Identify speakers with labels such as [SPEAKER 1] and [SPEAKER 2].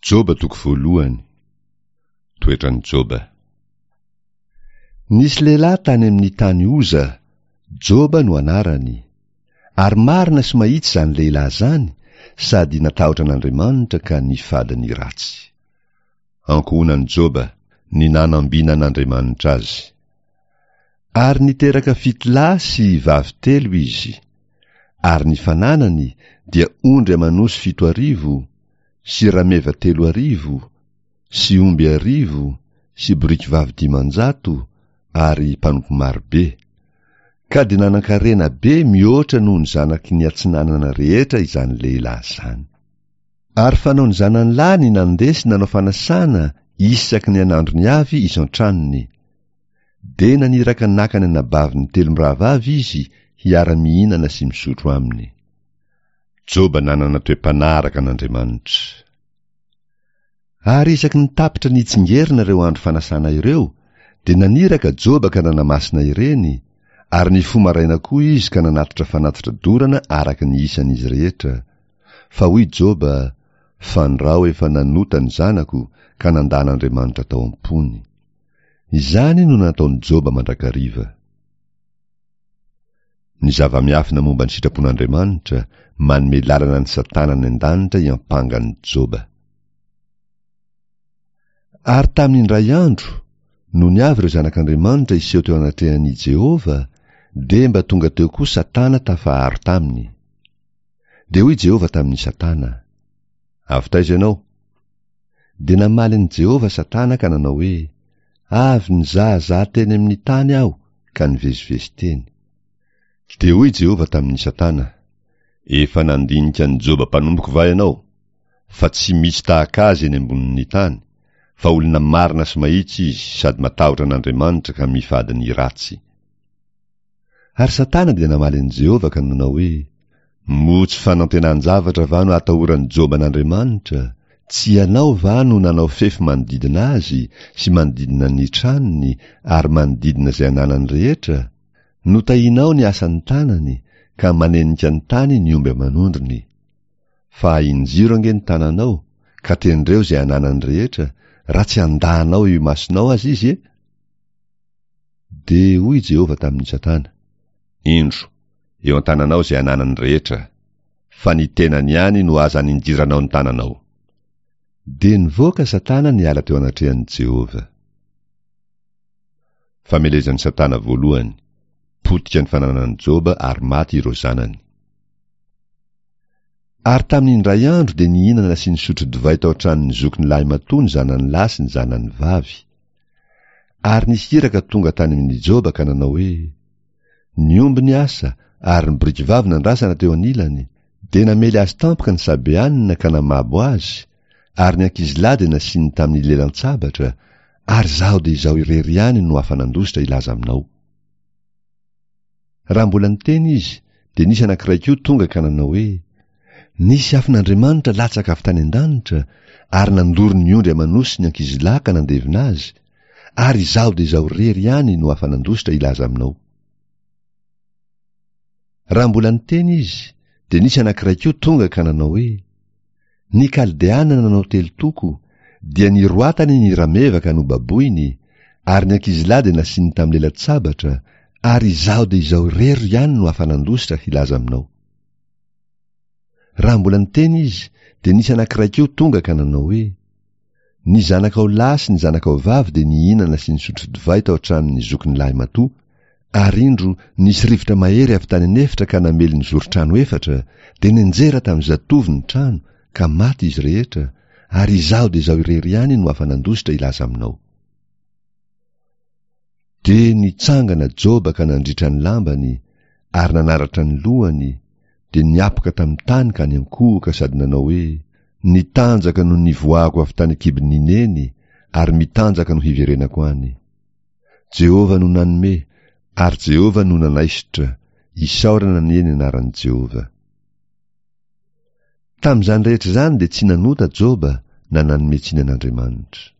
[SPEAKER 1] Joba toko voalohany. Toetran'i Joba. Nisy lehilahy tany amin'ny tany Oza, Joba no anarany. Ary marina sy mahitsy izany lehilahy izany, sady natahotra an'Andriamanitra ka nifady ny ratsy. Ankohonan'i Joba, ny nanambinan'Andriamanitra azy. Ary niteraka fito lahy sy vavy telo izy. Ary ny fananany dia ondry aman'osy 70, sy rameva 3000, sy omby arivo, sy boriky vavy 500, ary mpanompo marobe. Ka dia nanan-karena be mihoatra noho ny zanaky ny atsinanana rehetra izany lehilahy izany. Ary fanaon'ny zanany lahy ny nandeha sy nanao fanasana isaky ny an'androny avy isan-tranony. Dia naniraka naka ny anabaviny telo mirahavavy izy hiara-mihinana sy misotro aminy. Joba nanana toe-panahy araka an'Andriamanitra. Ary isaky ny tapitra nitsingerina ireo andro fanasana ireo, dia naniraka Joba ka nanamasina ireny, ary nifoha maraina koa izy ka nanatitra fanatitra dorana araka ny isan'izy rehetra. Fa hoy Joba, Fandrao efa nanota ny zanako ka nandà an'Andriamanitra tao am-pony. Izany no nataon'i Joba mandrakariva. Ny zava-miafina momba ny sitrapon'Andriamanitra manome lalana an'i Satana any an-danitra hiampanga an'i Joba. Ary tamin'ny indray andro, nony avy ireo zanak'Andriamanitra hiseho teo anatrehan'i Jehovah, dia mba tonga teo koa Satana tafaharo taminy. Dia hoy Jehovah tamin'i Satana, Avy taiza ianao? Dia namaly an'i Jehovah Satana ka nanao hoe, Avy nizahazaha teny amin'ny tany aho ka nivezivezy teny. Dia hoy Jehovah tamin'i Satana, Efa nandinika an'i Joba mpanompoko va ianao? Fa tsy misy tahaka azy eny ambonin'ny tany, fa olona marina sy mahitsy izy sady matahotra an'Andriamanitra ka mifady ny ratsy. Ary Satana dia namaly an'i Jehovah ka nanao hoe, Moa tsy fanantenan-javatra va no atahoran'i Joba an'Andriamanitra? Tsy ianao va no nanao fefy manodidina azy sy manodidina ny tranony ary manodidina izay ananany rehetra? Notahianao ny asan'ny tanany ka manenika ny tany ny omby aman'ondriny. Fa ahinjiro ange ny tananao ka tendreo izay ananany rehetra raha tsy handà anao eo imasonao aza izy e! Dia hoy Jehovah tamin'i Satana, Indro, eo an-tananao izay ananany rehetra, fa ny tenany ihany no aza aninjiranao ny tananao. Dia nivoaka Satana niala teo anatrehan'i Jehovah. Famelezan'i Satana voalohany, potika ny fananan'i Joba ary maty ireo zanany. Ary tamin'ny indray andro dia nihinana sy nisotro divay tao an-tranon'ny zokiny lahimatoa ny zanany lahy sy ny zanany vavy. Ary nisy iraka tonga tany amin'i Joba ka nanao hoe, Ny omby niasa ary ny borikivavy nandrasana teo anilany, dia namely azy tampoka ny Sabeanina ka namabo azy, ary ny ankizilahy dia nasiany tamin'ny lelan-tsabatra, ary izaho dia izaho irery ihany no afa-nandositra hilaza aminao. Raha mbola niteny izy, dia nisy anankiray koa tonga ka nanao hoe, Nisy afon'Andriamanitra latsaka avy tany an-danitra ary nandoro ny ondry aman'osy ny ankizilahy ka nandevina azy, ary izaho dia izaho irery ihany no afa-nandositra hilaza aminao. Raha mbola niteny izy, dia nisy anankiray koa tonga ka nanao hoe, Ny Kaldeana nanao telo toko, dia niroatany ny rameva ka nobaboiny, ary ny ankizilahy dia nasiany tamin'ny lela-tsabatra, ary izaho dia izaho irery ihany no afa-nandositra hilaza aminao. Raha mbola niteny izy, dia nisy anankiray koa tonga ka nanao hoe, Ny zanakao lahy sy ny zanakao vavy dia nihinana sy nisotro divay tao an-tranon'ny zokiny lahimatoa, ary indro, nisy rivotra mahery avy tany an'efitra ka namely ny zoron-trano efatra, dia nianjera tamin'ny zatovo ny trano, ka maty izy rehetra, ary izaho dia izaho irery ihany no afa-nandositra hilaza aminao. Dia nitsangana Joba ka nandritra ny lambany, ary nanaratra ny lohany, dia niapoka tamin'ny tany ka niankohoka sady nanao hoe, Nitanjaka no nivoahako avy tany an-kibon'i Neny, ary mitanjaka no hiverenako any. Jehovah no nanome, ary Jehovah no nanaisotra, isaorana anie ny anaran'i Jehovah. Tamin'izany rehetra izany dia tsy nanota Joba na nanome tsiny an'Andriamanitra.